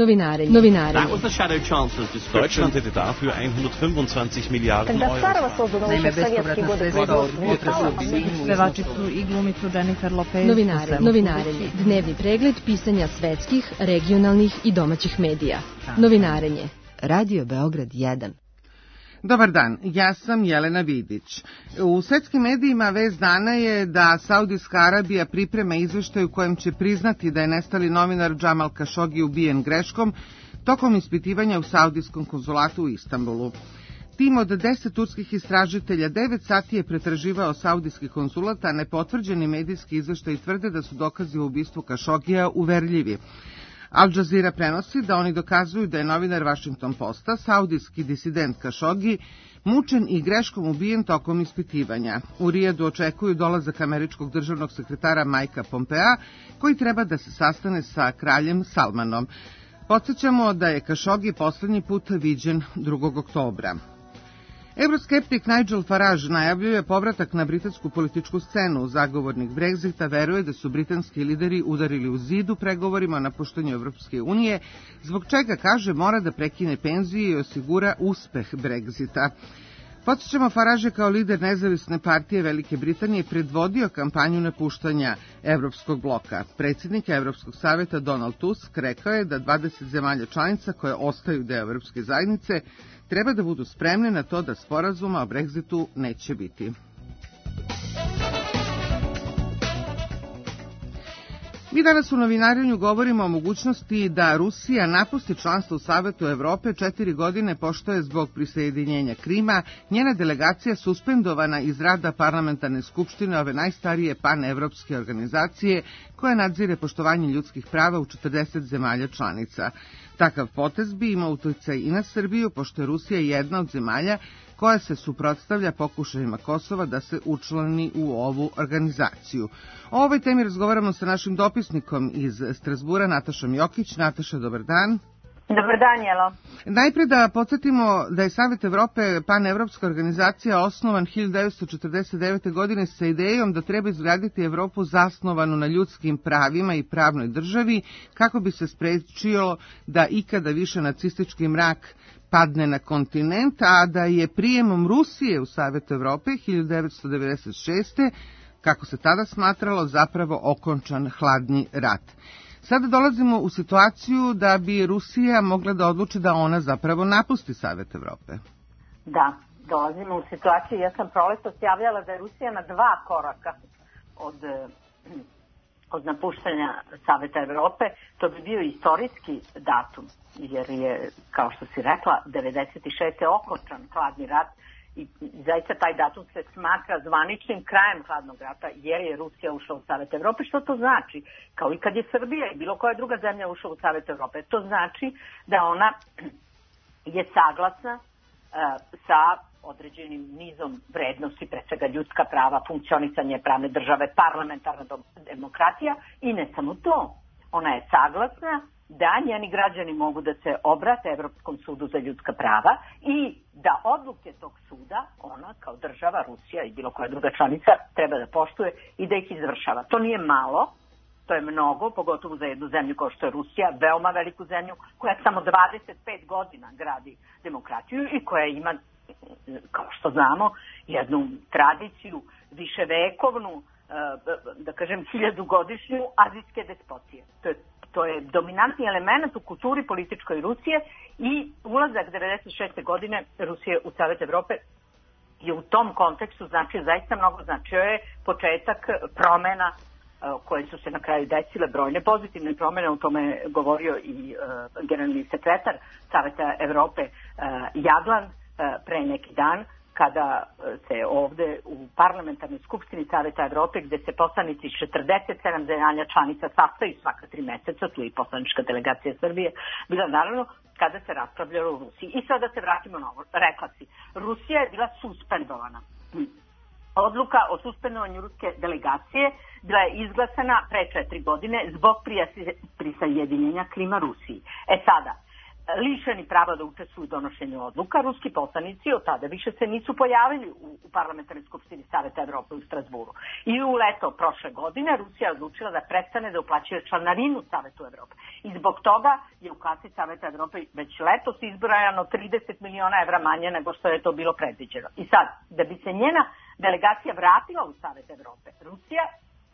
Novinare. That was the Shadow Chancellor's description. Deutschland hätte dafür 125 Miliarden Euro. Naime, bespovratna sredstva od pevači su i glumicu Jennifer Lopez. Novinarenje. Dnevni pregled pisanja svetskih, regionalnih i domaćih medija. Novinarenje. Radio Beograd 1. Dobar dan, ja sam Jelena Vidić. U svetskim medijima vest dana je da Saudijska Arabija priprema izveštaj u kojem će priznati da je nestali novinar Džamal Kašogi ubijen greškom tokom ispitivanja u Saudijskom konzulatu u Istanbulu. Tim od 10 turskih istražitelja 9 sati je pretraživao saudijski konzulat, a nepotvrđeni medijski izveštaji tvrde da su dokazi o ubistvu Kašogija uverljivi. Al Jazeera prenosi da oni dokazuju da je novinar Washington Posta, saudijski disident Kašogi, mučen i greškom ubijen tokom ispitivanja. U Rijadu očekuju dolazak američkog državnog sekretara Mikea Pompea, koji treba da se sastane sa kraljem Salmanom. Podsjećamo da je Kašogi poslednji put viđen 2. oktobra. Euroskeptik Nigel Farage najavljuje povratak na britansku političku scenu. Zagovornik Brexita veruje da su britanski lideri udarili u zid u pregovorima o napuštanju Evropske unije, zbog čega, kaže, mora da prekine penzije i osigura uspeh Brexita. Podsjećamo, Farage je kao lider nezavisne partije Velike Britanije predvodio kampanju napuštanja Evropskog bloka. Predsjednik Evropskog saveta Donald Tusk rekao je da 20 zemalja članica koje ostaju deo Evropske zajednice treba da budu spremne na to da sporazuma o Brexitu neće biti. Mi danas u novinarenju govorimo o mogućnosti da Rusija napusti članstvo u Savetu Evrope 4 godine pošto je zbog prisjedinjenja Krima njena delegacija suspendovana iz rada parlamentarne skupštine ove najstarije panevropske organizacije koja nadzire poštovanje ljudskih prava u 40 zemalja članica. Takav potez bi imao uticaj i na Srbiju, pošto je Rusija jedna od zemalja koja se suprotstavlja pokušajima Kosova da se učlani u ovu organizaciju. O ovoj temi razgovaramo sa našim dopisnikom iz Strazbura, Natašom Jokić. Nataša, dobar dan. Dobar dan, Jelo. Najpre da podsjetimo da je Savet Evrope panevropska organizacija osnovan 1949. godine sa idejom da treba izgraditi Evropu zasnovanu na ljudskim pravima i pravnoj državi kako bi se sprečilo da ikada više nacistički mrak padne na kontinent, a da je prijemom Rusije u Savet Evrope 1996. kako se tada smatralo zapravo okončan hladni rat. Sada dolazimo u situaciju da bi Rusija mogla da odluči da ona zapravo napusti Savet Evrope. Da, dolazimo u situaciju. Ja sam proletos javljala da je Rusija na 2 koraka od napuštanja Saveta Evrope. To bi bio istorijski datum, jer je, kao što si rekla, 96. okončan hladni rat. I zaista taj datum se smatra zvaničnim krajem hladnog rata, jer je Rusija ušla u Savet Evrope. Što to znači? Kao i kad je Srbija i bilo koja druga zemlja ušla u Savet Evrope. To znači da ona je saglasna sa određenim nizom vrednosti, pre svega ljudska prava, funkcionisanje pravne države, parlamentarna demokratija i ne samo to. Ona je saglasna da njeni građani mogu da se obrate Evropskom sudu za ljudska prava i da odluke tog suda ona kao država, Rusija i bilo koja druga članica treba da poštuje i da ih izvršava. To nije malo, to je mnogo, pogotovo za jednu zemlju kao što je Rusija, veoma veliku zemlju koja samo 25 godina gradi demokratiju i koja ima, kao što znamo, jednu tradiciju viševekovnu, da kažem 1000-godišnju azijske despotije. To je dominantni element u kulturi političkoj Rusije i ulazak 96. godine Rusije u Savet Evrope je u tom kontekstu značio zaista mnogo. Značio je početak promena koje su se na kraju desile, brojne pozitivne promene, o tome je govorio i generalni sekretar Saveta Evrope Jagland pre neki dan, kada se ovde u parlamentarnoj skupštini Saveta Evrope, gde se poslanici 47 zemalja članica sastaju svaka 3 meseca, tu je i poslanička delegacija Srbije, bila naravno kada se raspravljalo u Rusiji. I sada se vratimo na ovo. Rekla si, Rusija je bila suspendovana. Odluka o suspendovanju ruske delegacije bila je izglasana pre 4 godine zbog prisajedinjenja Krima Rusiji. Sada, lišeni prava da učestvuju u donošenju odluka. Ruski poslanici od tada više se nisu pojavili u parlamentarnoj skupštini Saveta Evrope u Strasburu. I u leto prošle godine Rusija je odlučila da prestane da uplaćuje članarinu Savetu Evrope. I zbog toga je u kasi Saveta Evrope već letos izbrojano 30 miliona evra manje nego što je to bilo predviđeno. I sad, da bi se njena delegacija vratila u Savet Evrope, Rusija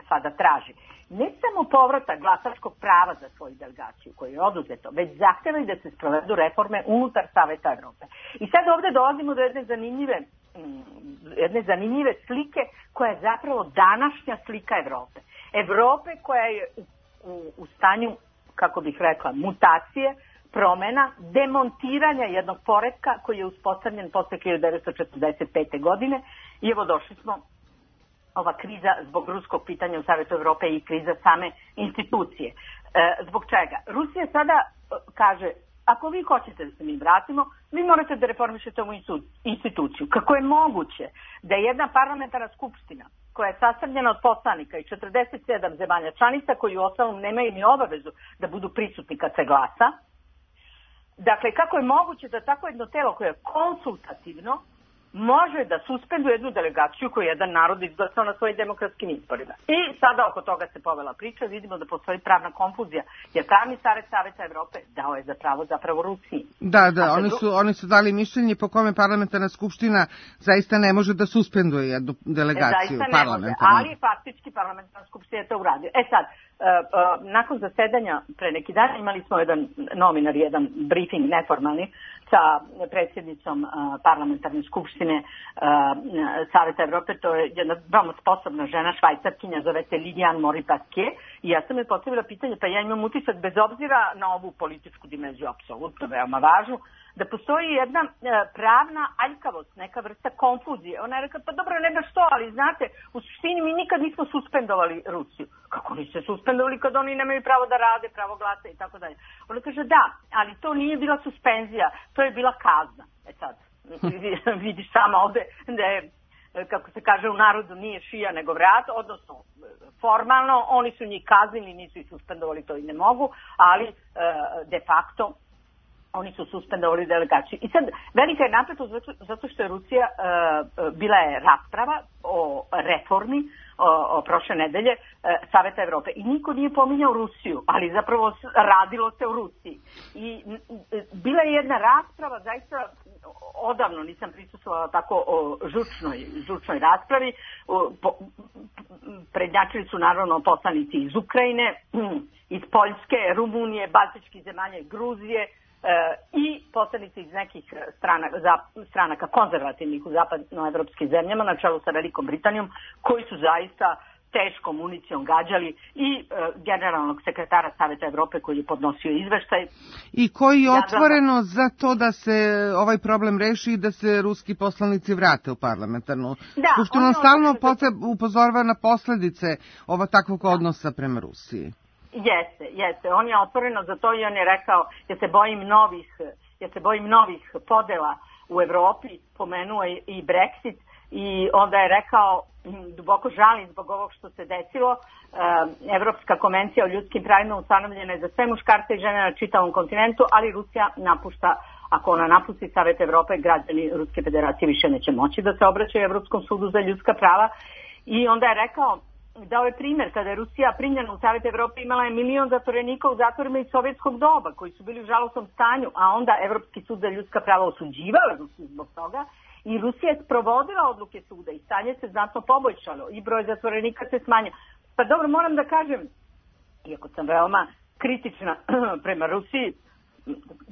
sada traži ne samo povratak glasačkog prava za svoju delegaciju koju je oduzeto, već zahteva i da se sprovedu reforme unutar Saveta Evrope. I sad ovde dolazimo do jedne zanimljive slike koja je zapravo današnja slika Evrope. Evrope koja je u stanju, kako bih rekla, mutacije, promena, demontiranja jednog poretka koji je uspostavljen posle 1945. godine i evo došli smo ova kriza zbog ruskog pitanja u Savetu Evrope i kriza same institucije. Zbog čega? Rusija sada kaže, ako vi hoćete da se mi vratimo, vi morate da reformišete ovu instituciju. Kako je moguće da jedna parlamentarna skupština koja je sastavljena od poslanika i 47 zemalja članica koji u ostalom nemaju ni obavezu da budu prisutni kad se glasa, dakle, kako je moguće da tako jedno telo koje je konsultativno može da suspenduje jednu delegaciju koju je jedan narod izglasao na svojim demokratskim izborima. I sada oko toga se povela priča, vidimo da postoji pravna konfuzija, jer pravni savjet Saveta Evrope dao je zapravo Rusiji. Da, oni su dali mišljenje po kome parlamentarna skupština zaista ne može da suspenduje jednu delegaciju parlamentarnu. Ali faktički parlamentarna skupština je to uradio. Sad, nakon zasedanja pre neki dan imali smo jedan novinar, jedan briefing neformalni sa predsjednicom parlamentarne skupštine Saveta Evrope, to je jedna veoma sposobna žena, švajcarkinja, zove se Liliane Mori-Pasquier, i ja sam joj postavila pitanje, pa ja imam utisak, bez obzira na ovu političku dimenziju, apsolutno veoma važnu, da postoji jedna pravna aljkavost, neka vrsta konfuzije. Ona je rekla, pa dobro, ne baš to, ali znate, u suštini mi nikad nismo suspendovali Rusiju. Kako niste suspendovali kad oni nemaju pravo da rade, pravo glasa i tako dalje? Ona kaže, da, ali to nije bila suspenzija, to je bila kazna. Sad, vidiš sama ovde da je, kako se kaže u narodu, nije šija nego vrat, odnosno formalno oni su njih kaznili, nisu ih suspendovali, to i ne mogu, ali de facto oni su suspendovali delegaciju. I sad, velika je napetost zato što je Rusija, bila je rasprava o reformi o prošle nedelje Saveta Evrope i niko nije pominjao Rusiju, ali zapravo radilo se o Rusiji. I bila je jedna rasprava, zaista odavno nisam prisustvovala tako o žučnoj raspravi. Prednjačili su naravno poslanici iz Ukrajine, iz Poljske, Rumunije, Baltičkih zemalja i Gruzije, i poslanici iz nekih stranaka konzervativnih u zapadnoevropskim zemljama na čelu sa Velikom Britanijom, koji su zaista teškom municijom gađali i generalnog sekretara Saveta Evrope koji je podnosio izveštaj. I koji je otvoreno za to da se ovaj problem reši i da se ruski poslanici vrate u parlamentarnu skupštinu. On stalno upozorava na posledice takvog odnosa prema Rusiji. Jeste. On je otvoreno za to i on je rekao, ja se bojim novih podela u Evropi, pomenuo i Brexit, i onda je rekao, duboko žalim zbog ovog što se desilo. Evropska konvencija o ljudskim pravima ustanovljena je za sve muškarce i žene na čitavom kontinentu, ali Rusija napušta, ako ona napusti Savet Evrope, građani Ruske federacije više neće moći da se obraćaju Evropskom sudu za ljudska prava. I onda je rekao, dao je primjer, kada je Rusija primljena u Savet Evrope, imala je 1 milion zatvorenika u zatvorima iz sovjetskog doba, koji su bili u žalosnom stanju, a onda Evropski sud za ljudska prava osuđivao Rusiju zbog toga i Rusija je sprovodila odluke suda i stanje se znatno poboljšalo i broj zatvorenika se smanjio. Pa dobro, moram da kažem, iako sam veoma kritična prema Rusiji,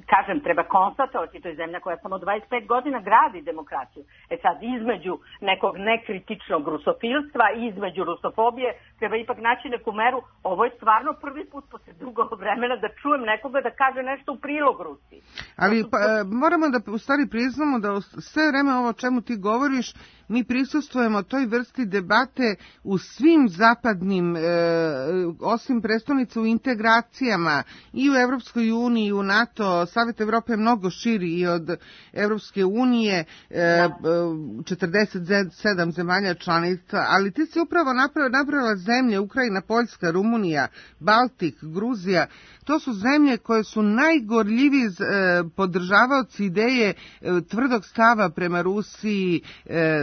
kažem, treba konstatovati, to je zemlja koja samo 25 godina gradi demokraciju. Sad, između nekog nekritičnog rusofilstva i između rusofobije treba ipak naći neku meru. Ovo je stvarno prvi put posle dugo vremena da čujem nekoga da kaže nešto u prilog Rusiji. Ali moramo da u stvari priznamo da sve vreme ovo o čemu ti govoriš, mi prisustvujemo toj vrsti debate u svim zapadnim, osim prestolnica, u integracijama i u Evropskoj uniji, i u NATO, sad Savet Evrope je mnogo širi i od Evropske unije, 47 zemalja članica, ali ti si upravo napravila zemlje, Ukrajina, Poljska, Rumunija, Baltik, Gruzija. To su zemlje koje su najgorljiviji podržavaoci ideje tvrdog stava prema Rusiji,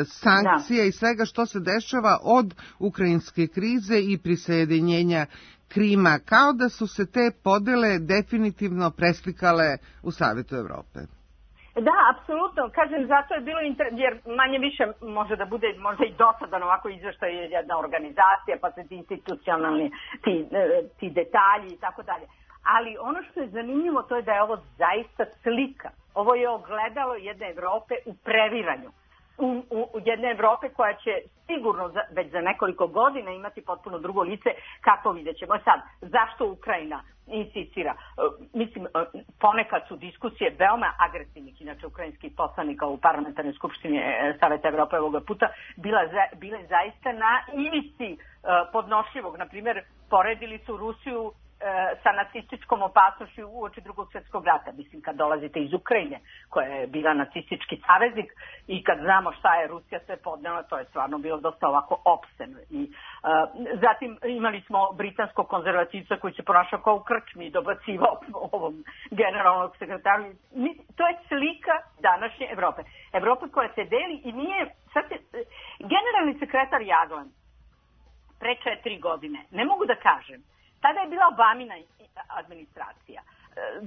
sankcija i svega što se dešava od ukrajinske krize i prisjedinjenja Krima, kao da su se te podele definitivno preslikale u Savetu Evrope. Da, apsolutno. Kažem, zato je bilo jer manje više može da bude možda i dosadan ovako izveštaj jedna organizacija, pa se ti institucionalni ti detalji i tako dalje. Ali ono što je zanimljivo to je da je ovo zaista slika. Ovo je ogledalo jedne Evrope u previranju. U jedne Evrope koja će sigurno već za nekoliko godina imati potpuno drugo lice, kako vidjet ćemo. Sad, zašto Ukrajina insistira? Mislim, ponekad su diskusije veoma agresivnih, inače ukrajinskih poslanika u parlamentarnoj skupštini Saveta Evrope ovoga puta bile zaista na ivici podnošljivog. Naprimjer, poredili su Rusiju sa nacističkom opasnošću uoči Drugog svjetskog rata. Mislim, kad dolazite iz Ukrajine, koja je bila nacistički saveznik i kad znamo šta je Rusija sve podnela, to je stvarno bilo dosta ovako opseno. Zatim imali smo britanskog konzervativca koji se ponašao kao u krčmi i dobacivao ovom generalnog sekretaru. To je slika današnje Evrope. Evrope koja se deli i nije... Generalni sekretar Jaglan pre 4 godine, ne mogu da kažem, tada je bila Obamina administracija.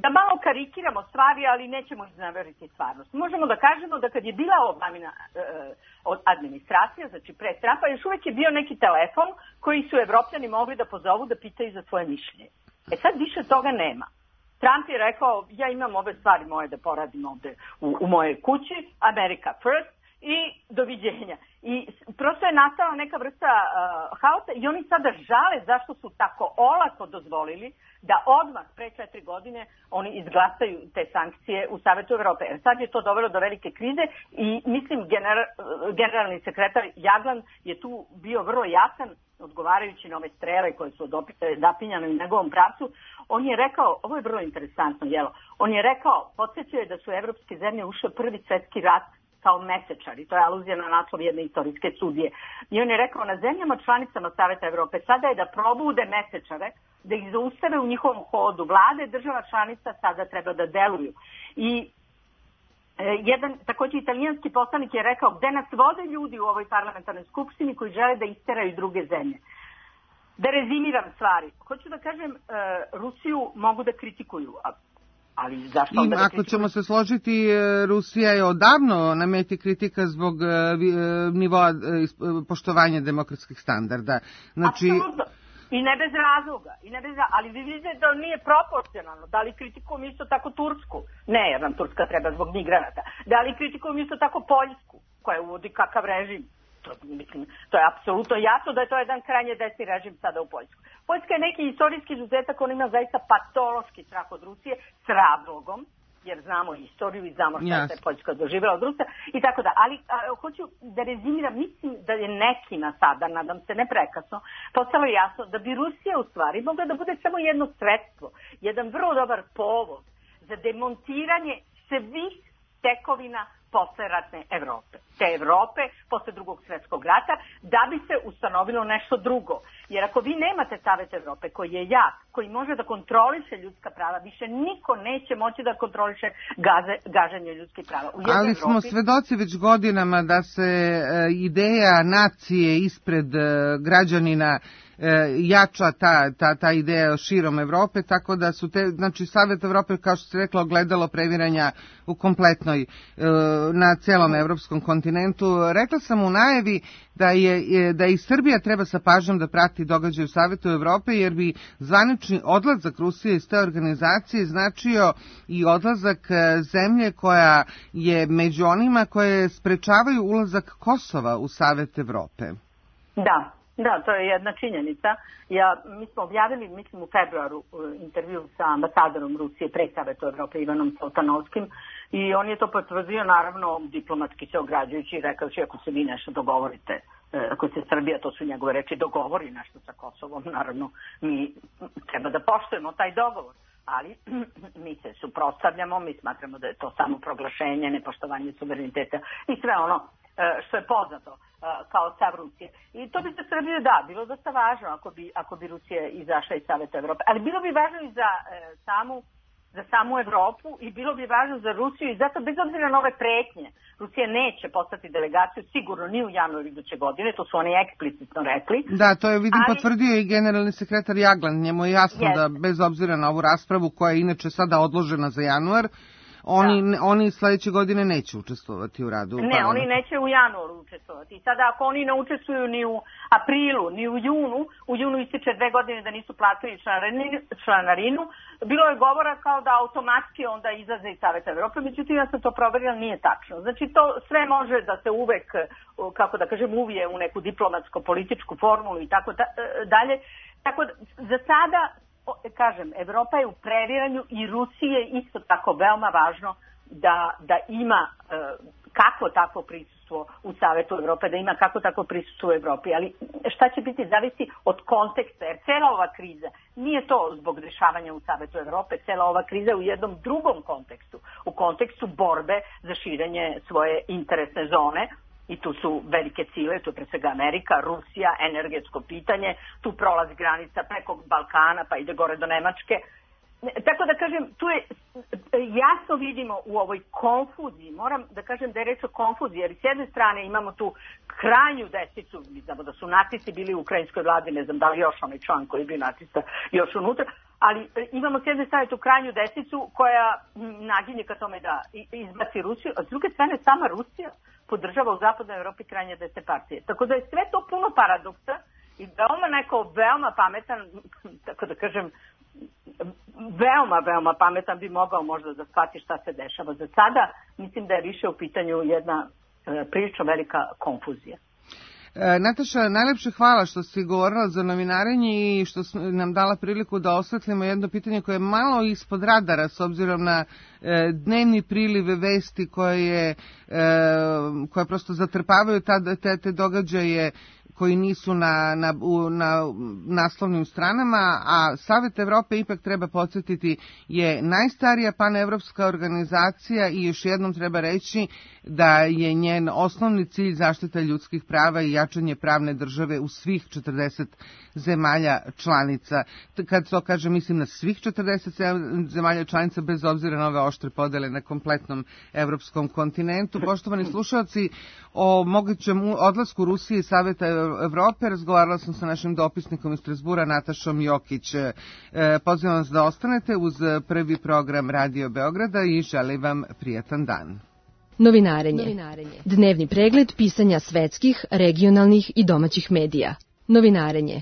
Da malo karikiramo stvari, ali nećemo iznaveriti stvarnost. Možemo da kažemo da kad je bila Obamina administracija, znači pre Trumpa, još uvek je bio neki telefon koji su Evropljani mogli da pozovu da pitaju za svoje mišljenje. Sad više toga nema. Trump je rekao, ja imam ove stvari moje da poradim ovde u mojoj kući, America first, i doviđenja. I prosto je nastala neka vrsta haosa i oni sada žale zašto su tako olako dozvolili da odmah pre 4 godine oni izglasaju te sankcije u Savetu Evrope. Sad je to dovelo do velike krize i mislim generalni sekretar Jaglan je tu bio vrlo jasan odgovarajući na ove strele koje su zapinjane u njegovom pravcu. On je rekao, ovo je vrlo interesantno, on je rekao, podsjećao je da su evropske zemlje ušle Prvi svjetski rat kao mesečari, to je aluzija na naslov jedne istorijske studije. I on je rekao, na zemljama članicama Saveta Evrope sada je da probude mesečare, da ih zaustave u njihovom hodu. Vlade država članica sada treba da deluju. I jedan također italijanski poslanik je rekao, gde nas vode ljudi u ovoj parlamentarnoj skupštini koji žele da isteraju druge zemlje. Da rezimiram stvari. Hoću da kažem, Rusiju mogu da kritikuju, ali zašto onda ako ćemo se složiti, Rusija je odavno na meti kritika zbog nivoa poštovanja demokratskih standarda. Znači... Apsolutno. I ne bez razloga. Ali vi vidite da nije proporcionalno. Da li kritikujem isto tako Tursku? Ne, jer nam Turska treba zbog migranata. Da li kritikujem isto tako Poljsku, koja uvodi kakav režim? To je apsolutno jasno da je to jedan krajnje desni režim sada u Poljsku. Poljska je neki istorijski izuzetak, on ima zaista patološki strah od Rusije s razlogom, jer znamo istoriju i znamo šta je Poljska doživjela od Rusa i tako da. Ali hoću da rezimiram, mislim da je nekima sada, nadam se ne prekasno, postalo jasno da bi Rusija u stvari mogla da bude samo jedno sredstvo, jedan vrlo dobar povod za demontiranje svih tekovina posleratne Evrope. Te Evrope posle Drugog svjetskog rata, da bi se ustanovilo nešto drugo. Jer ako vi nemate Savet Evrope koji je jak, koji može da kontroliše ljudska prava, više niko neće moći da kontroliše gaženje ljudskih prava. Ali smo svedoci već godinama da se ideja nacije ispred građanina jača ta ideja širom Evrope, tako da su znači Savet Evrope, kao što se rekla, ogledalo previranja u kompletnoj, na celom evropskom kontinentu. Rekla sam u najavi da i Srbija treba sa pažnjom da prati događaje u Savetu Evrope, jer bi zvanični odlazak Rusije iz te organizacije značio i odlazak zemlje koja je među onima koje sprečavaju ulazak Kosova u Savet Evrope. Da, to je jedna činjenica. Mi smo objavili, mislim, u februaru intervju sa ambasadorom Rusije pre Savetu Evrope Ivanom Soltanovskim i on je to potvrdio, naravno, diplomatski se ograđujući i rekao će, ako se vi nešto dogovorite, ako se Srbija, to su njegove reči, dogovori nešto sa Kosovom, naravno, mi treba da poštujemo taj dogovor, ali mi se suprotstavljamo, mi smatramo da je to samo proglašenje, nepoštovanje suvereniteta i sve ono što je poznato kao stav Rusije. I to bi za Srbiju, bilo dosta važno ako bi Rusija izašla iz Saveta Evrope. Ali bilo bi važno i za samu Evropu i bilo bi važno za Rusiju i zato bez obzira na ove pretnje Rusija neće poslati delegaciju sigurno ni u januaru iduće godine, to su oni eksplicitno rekli. Da, to je potvrdio i generalni sekretar Jagland, njemu je jasno da bez obzira na ovu raspravu koja je inače sada odložena za januar, oni sledeće godine neće učestvovati u radu. Ne, oni neće u januaru učestvovati. I sada ako oni ne učestvuju ni u aprilu, ni u junu ističe 2 godine da nisu platili članarinu, bilo je govora kao da automatski onda izlaze iz Saveta Evrope, međutim ja sam to proverila, nije tačno. Znači to sve može da se uvek, kako da kažem, uvije u neku diplomatsko-političku formulu i tako dalje. Tako da za sada, kažem, Evropa je u previranju i Rusiji je isto tako veoma važno da ima kakvo takvo prisustvo u Savetu Evrope, da ima kakvo takvo prisustvo u Evropi. Ali šta će biti zavisi od konteksta, jer cela ova kriza nije to zbog dešavanja u Savetu Evrope, cela ova kriza je u jednom drugom kontekstu, u kontekstu borbe za širenje svoje interesne zone. I tu su velike sile, tu je pre svega Amerika, Rusija, energetsko pitanje, tu prolaz granica preko Balkana pa ide gore do Nemačke. Tako da kažem, tu je jasno vidimo u ovoj konfuziji, moram da kažem da je reč o konfuziji, jer s jedne strane imamo tu krajnju desnicu, mi znamo da su nacisti bili u ukrajinskoj vladi, ne znam da li još onaj član koji je bio nacista još unutra, ali imamo s jedne strane tu krajnju desnicu koja naginje ka tome da izbaci Rusiju, a s druge strane sama Rusija podržava u zapadnoj Evropi krajnje desne partije. Tako da je sve to puno paradoksa i veoma pametan, tako da kažem, veoma pametan bi mogao možda da shvati šta se dešava. Za sada mislim da je više u pitanju jedna prilično velika konfuzija. Nataša, najlepše hvala što si govorila za novinarenje i što nam dala priliku da osvetlimo jedno pitanje koje je malo ispod radara s obzirom na dnevni prilive vesti koje prosto zatrpavaju te događaje koji nisu na naslovnim stranama, a Savet Evrope, ipak treba podsjetiti, je najstarija panevropska organizacija i još jednom treba reći da je njen osnovni cilj zaštita ljudskih prava i jačanje pravne države u svih 40 zemalja članica. Kad to kažem, mislim na svih 40 zemalja članica, bez obzira na ove oštre podele na kompletnom evropskom kontinentu. Poštovani slušalci, o mogućem odlasku Rusije iz Saveta Evrope razgovarala sam sa našim dopisnikom iz Strasbura, Natašom Jokić. Pozivam vas da ostanete uz prvi program Radio Beograda i želim vam prijatan dan. Novinarenje. Dnevni pregled pisanja svetskih, regionalnih i domaćih medija. Novinarenje.